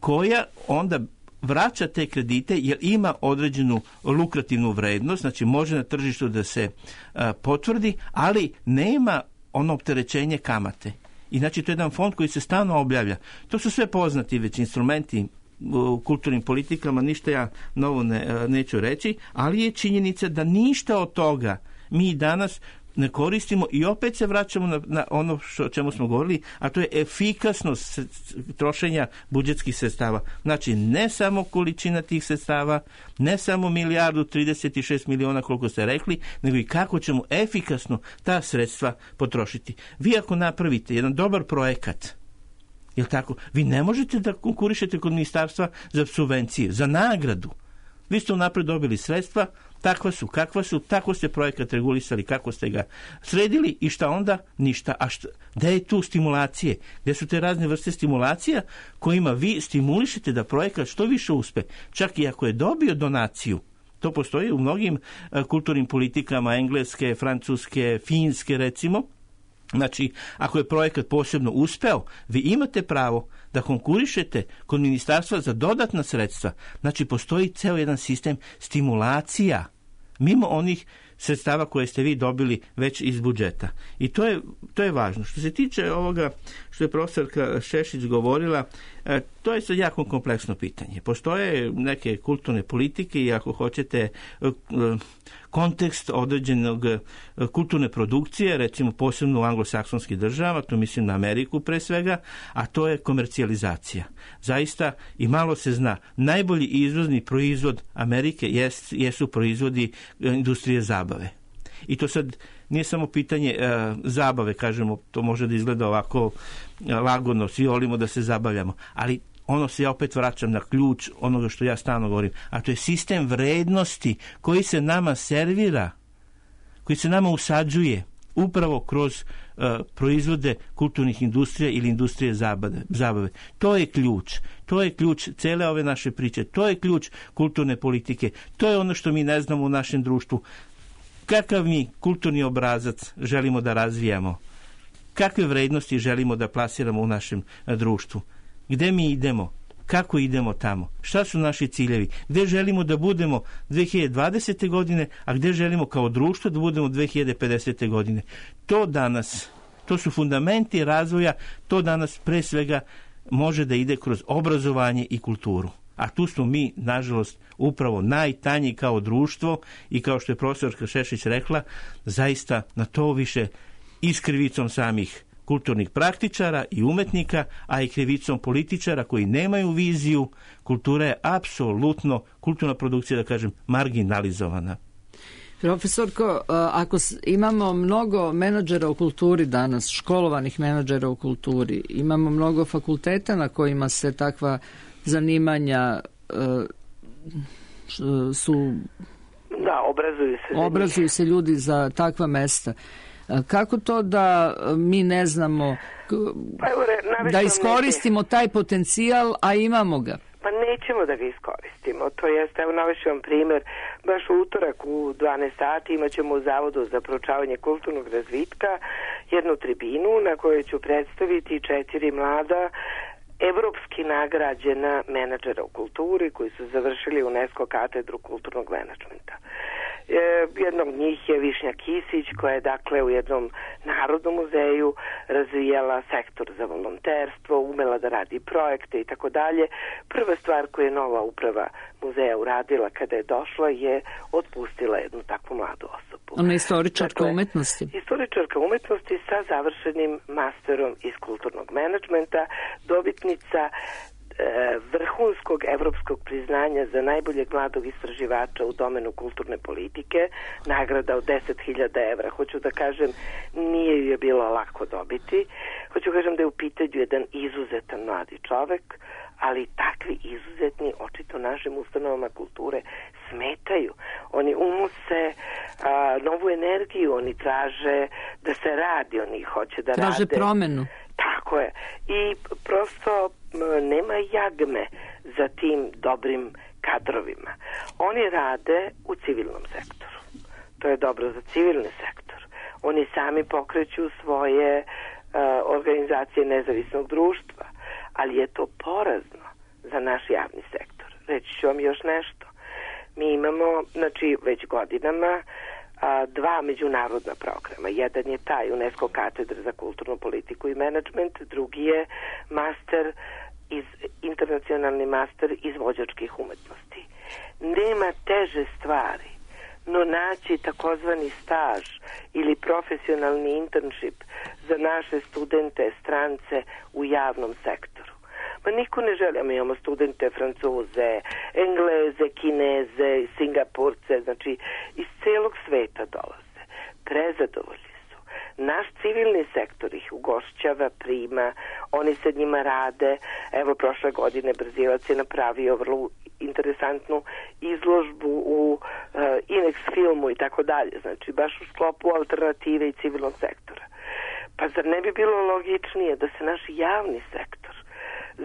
koja onda vraća te kredite jer ima određenu lukrativnu vrednost, znači može na tržištu da se potvrdi, ali nema ono opterećenje kamate. I znači to je jedan fond koji se stalno objavlja. To su sve poznati već instrumenti u kulturnim politikama, ništa ja novo neću reći, ali je činjenica da ništa od toga mi danas ne koristimo i opet se vraćamo na ono o čemu smo govorili, a to je efikasnost trošenja budžetskih sredstava. Znači, ne samo količina tih sredstava, ne samo 1.036 miliona koliko ste rekli, nego i kako ćemo efikasno ta sredstva potrošiti. Vi ako napravite jedan dobar projekat, jel tako, vi ne možete da konkurišete kod ministarstva za subvencije, za nagradu. Vi ste unapred dobili sredstva, takva su, kakva su, tako ste projekat regulisali, kako ste ga sredili i šta onda? Ništa. A gde je tu stimulacije? Gde su te razne vrste stimulacija kojima vi stimulišete da projekat što više uspe? Čak i ako je dobio donaciju, to postoji u mnogim kulturnim politikama, engleske, francuske, finske recimo. Znači, ako je projekat posebno uspeo, vi imate pravo da konkurišete kod ministarstva za dodatna sredstva. Znači, postoji ceo jedan sistem stimulacija mimo onih sredstava koje ste vi dobili već iz budžeta. I to je važno. Što se tiče ovoga što je profesorka Šešić govorila, to je sad jako kompleksno pitanje. Postoje neke kulturne politike i ako hoćete kontekst određenog kulturne produkcije, recimo posebno u anglosaksonskih država, tu mislim na Ameriku pre svega, a to je komercijalizacija. Zaista i malo se zna. Najbolji izvozni proizvod Amerike jesu proizvodi industrije zabave. I to sad nije samo pitanje zabave, kažemo, to može da izgleda ovako lagodno, svi volimo da se zabavljamo, ali ono se ja opet vraćam na ključ onoga što ja stalno govorim, a to je sistem vrednosti koji se nama servira, koji se nama usađuje upravo kroz proizvode kulturnih industrija ili industrije zabave. To je ključ cele ove naše priče, to je ključ kulturne politike, to je ono što mi ne znamo u našem društvu. kakav mi kulturni obrazac želimo da razvijamo, kakve vrednosti želimo da plasiramo u našem društvu, gde mi idemo, kako idemo tamo, šta su naši ciljevi, gde želimo da budemo 2020. godine, a gde želimo kao društvo da budemo 2050. godine. To danas, to su fundamenti razvoja, to danas pre svega može da ide kroz obrazovanje i kulturu. A tu smo mi, nažalost, upravo najtanji kao društvo i kao što je profesorka Šešić rekla, zaista na to više i s krivicom samih kulturnih praktičara i umetnika, a i krivicom političara koji nemaju viziju. Kultura je apsolutno, kulturna produkcija, da kažem, marginalizovana. Profesorko, ako imamo mnogo menadžera u kulturi danas, školovanih menadžera u kulturi, imamo mnogo fakulteta na kojima se takva zanimanja su... Da, obrazuju se ljudi za takva mesta. Kako to da mi ne znamo da iskoristimo taj potencijal, a imamo ga? Pa nećemo da ga iskoristimo. To jest, evo navešću vam primjer, baš u utorak u 12 sati imat ćemo u Zavodu za proučavanje kulturnog razvitka jednu tribinu na kojoj ću predstaviti 4 mlada evropski nagrađena menadžera u kulturi koji su završili UNESCO katedru kulturnog menadžmenta. Jednog od njih je Višnja Kisić, koja je dakle u jednom narodnom muzeju razvijala sektor za volonterstvo, umela da radi projekte i tako dalje. Prva stvar koju je nova uprava muzeja uradila kada je došla je otpustila jednu takvu mladu osobu. Ona je istoričarka umetnosti. Istoričarka umetnosti sa završenim masterom iz kulturnog menadžmenta, dobitnica vrhunskog evropskog priznanja za najboljeg mladog istraživača u domenu kulturne politike, nagrada od 10.000 evra. Hoću da kažem, nije ju je bilo lako dobiti. Hoću da kažem da je u pitanju jedan izuzetan mladi čovek, ali takvi izuzetni očito našim ustanovama kulture smetaju. Oni unose novu energiju, oni traže da se radi, oni hoće da traže promenu. Tako je. I prosto nema jagme za tim dobrim kadrovima. Oni rade u civilnom sektoru. To je dobro za civilni sektor. Oni sami pokreću svoje organizacije nezavisnog društva, ali je to porazno za naš javni sektor. Reći ću vam još nešto. Mi imamo, znači, već godinama 2 međunarodna programa. Jedan je taj UNESCO katedra za kulturnu politiku i menadžment, drugi je internacionalni master izvođačkih umetnosti. Nema teže stvari, no naći takozvani staž ili profesionalni internship za naše studente, strance u javnom sektoru. Ma niko ne želi, mi imamo studente Francuze, Engleze, Kineze, Singapurce, znači iz celog sveta dolaze. Prezadovoljni su. Naš civilni sektor ih ugošćava, prima, oni sa njima rade. Evo, prošle godine Brzilac je napravio vrlo interesantnu izložbu u Inex filmu i tako dalje, znači baš u sklopu alternative i civilnog sektora. Pa zar ne bi bilo logičnije da se naš javni sektor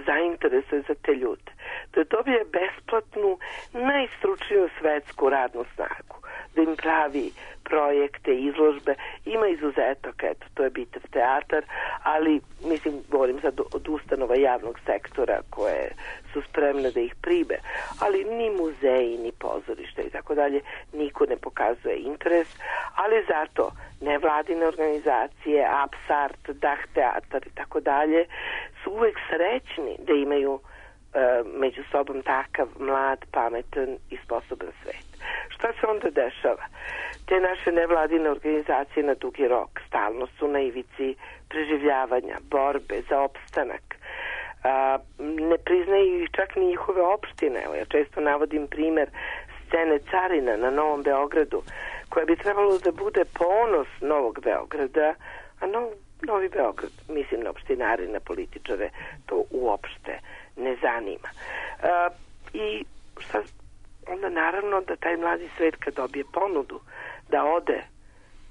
zainteresuje za te ljude, da dobije besplatnu, najstručniju svetsku radnu snagu, da im pravi projekte, izložbe. Ima izuzetak, eto, to je Bitev teatar, ali, mislim, govorim sad od ustanova javnog sektora koje su spremne da ih prime, ali ni muzeji, ni pozorište i tako dalje, niko ne pokazuje interes, ali zato nevladine organizacije, Apsart, Dah teatar i tako dalje, su uvek srećni da imaju među sobom takav mlad, pametan i sposoban svet. Šta se onda dešava? Te naše nevladine organizacije na dugi rok stalno su na ivici preživljavanja, borbe za opstanak. Ne priznaju ih čak ni njihove opštine. Evo, ja često navodim primer scene Carina na Novom Beogradu, koja bi trebalo da bude ponos Novog Beograda, a Novi Beograd, mislim na opštinare, na političare, to uopšte ne zanima. I šta, onda naravno da taj mladi svet kad dobije ponudu da ode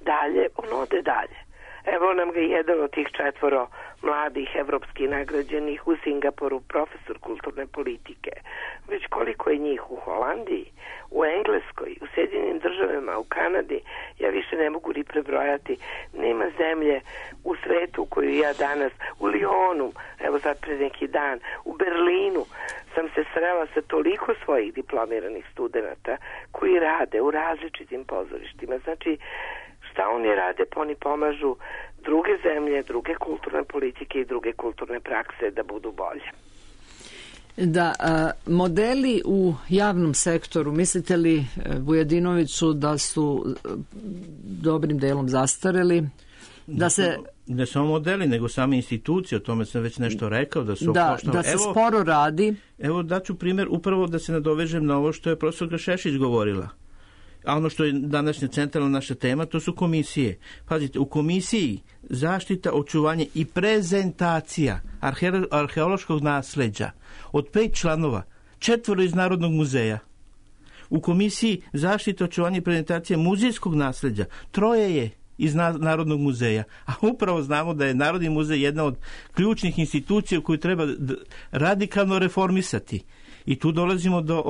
dalje, on ode dalje. Evo nam ga jedan od tih 4 mladih evropskih nagrađenih u Singapuru, profesor kulturne politike, već koliko je njih u Holandiji, u Engleskoj, u Sjedinjenim Državama, u Kanadi, ja više ne mogu ni prebrojati. Nema zemlje u svetu koju ja danas, u Lyonu, evo sad pred neki dan, u Berlinu sam se srela sa toliko svojih diplomiranih studenata koji rade u različitim pozorištima. Znači, šta oni rade? Pa oni pomažu druge zemlje, druge kulturne politike i druge kulturne prakse da budu bolje. Da, modeli u javnom sektoru, mislite li, Vujadinoviću, da su dobrim delom zastareli? Da se... Ne samo modeli, nego same institucije, o tome sam već nešto rekao, da su da se sporo radi. Evo daću primjer, upravo da se nadovežem na ovo što je profesorka Šešić govorila. A ono što je današnja centralna naša tema, to su komisije. Pazite, u komisiji zaštita, očuvanje i prezentacija arheološkog nasleđa od 5 članova, 4 iz Narodnog muzeja. U komisiji zaštita, očuvanje i prezentacija muzejskog nasleđa, 3 je iz Narodnog muzeja. A upravo znamo da je Narodni muzej jedna od ključnih institucija koju treba radikalno reformisati. I tu dolazimo do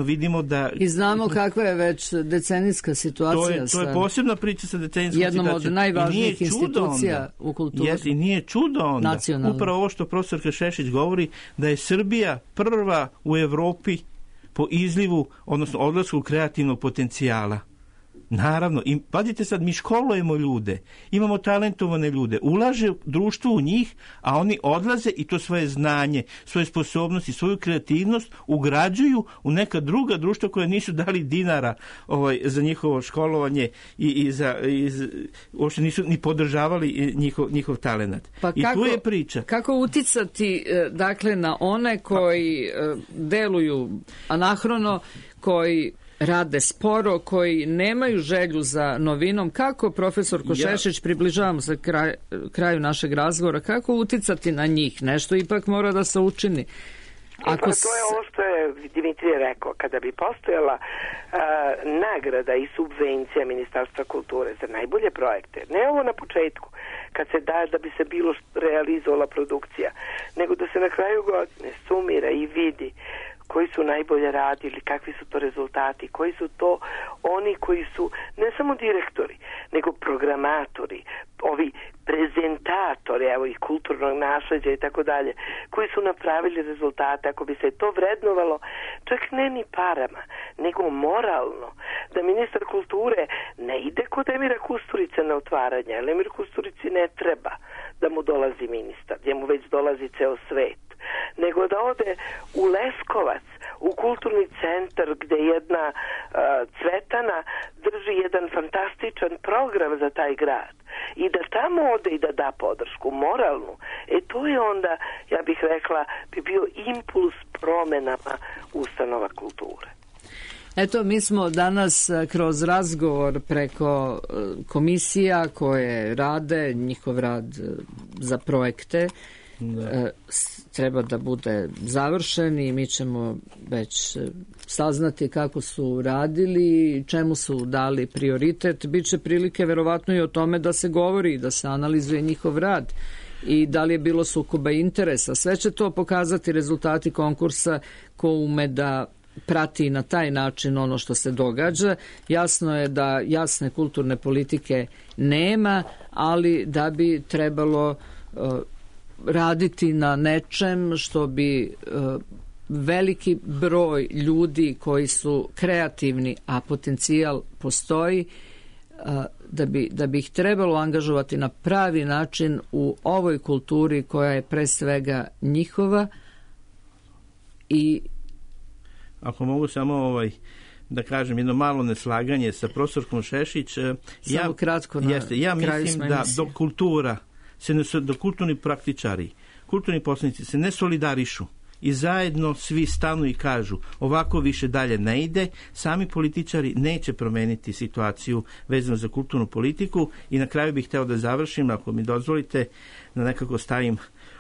vidimo da... I znamo kakva je već decenijska situacija. To je posebna priča sa decenijskom situacijom. Jednom od najvažnijih institucija u kulturi. I nije čudo onda. Nacionalno. Upravo ovo što profesorka Šešić govori, da je Srbija prva u Evropi po izlivu, odnosno odlasku kreativnog potencijala. Naravno, i pazite sad, mi školujemo ljude, imamo talentovane ljude, ulaže društvo u njih, a oni odlaze i to svoje znanje, svoje sposobnosti, svoju kreativnost ugrađuju u neka druga društva koja nisu dali dinara za njihovo školovanje i uopšte nisu ni podržavali njihov talenat. Pa i tu je priča. Kako uticati dakle na one koji deluju anahrono, koji rade sporo, koji nemaju želju za novinom? Kako, profesor Košešić, približavamo se kraju našeg razgovora, kako uticati na njih? Nešto ipak mora da se učini. To je ovo što je Dimitrije rekao. Kada bi postojala nagrada i subvencija Ministarstva kulture za najbolje projekte, ne ovo na početku, kad se da bi se bilo realizovala produkcija, nego da se na kraju godine sumira i vidi koji su najbolje radili, kakvi su to rezultati, koji su to oni koji su ne samo direktori, nego programatori, ovi prezentatori, evo i kulturnog nasleđa i tako dalje, koji su napravili rezultate. Ako bi se to vrednovalo, čak ne ni parama, nego moralno, da ministar kulture ne ide kod Emira Kusturice na otvaranje, ali Emir Kusturici ne treba da mu dolazi ministar, gdje mu već dolazi ceo svet, nego da ode u Leskovac, u kulturni centar gdje jedna Cvetana drži jedan fantastičan program za taj grad i da tamo ode i da da podršku moralnu. To je onda, ja bih rekla, bi bio impuls promenama ustanova kulture. Eto, mi smo danas kroz razgovor preko komisija koje rade, njihov rad za projekte, treba da bude završen i mi ćemo već saznati kako su radili, čemu su dali prioritet. Biće prilike verovatno i o tome da se govori, da se analizuje njihov rad i da li je bilo sukoba interesa. Sve će to pokazati rezultati konkursa ko ume da prati na taj način ono što se događa. Jasno je da jasne kulturne politike nema, ali da bi trebalo raditi na nečem što bi veliki broj ljudi koji su kreativni, a potencijal postoji, da bi ih trebalo angažovati na pravi način u ovoj kulturi koja je pre svega njihova. I ako mogu samo da kažem jedno malo neslaganje sa profesorkom Šešić, samo kratko na ja mislim da dok kultura do kulturni praktičari, kulturni poslanici se ne solidarišu i zajedno svi stanu i kažu ovako više dalje ne ide, sami političari neće promeniti situaciju vezano za kulturnu politiku. I na kraju bih hteo da završim, ako mi dozvolite, da nekako stavim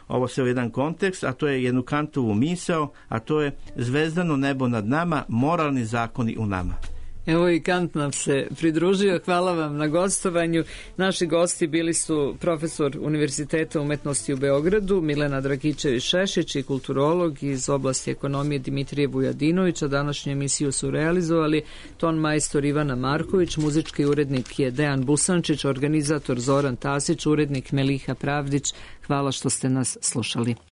ovo sve u jedan kontekst, a to je jednu Kantovu misao, a to je zvezdano nebo nad nama, moralni zakoni u nama. Evo i Kant nam se pridružio. Hvala vam na gostovanju. Naši gosti bili su profesor Univerziteta umetnosti u Beogradu Milena Dragičević-Šešić i kulturolog iz oblasti ekonomije Dimitrije Vujadinović. A današnju emisiju su realizovali ton majstor Ivana Marković, muzički urednik je Dejan Busančić, organizator Zoran Tasić, urednik Meliha Pravdić. Hvala što ste nas slušali.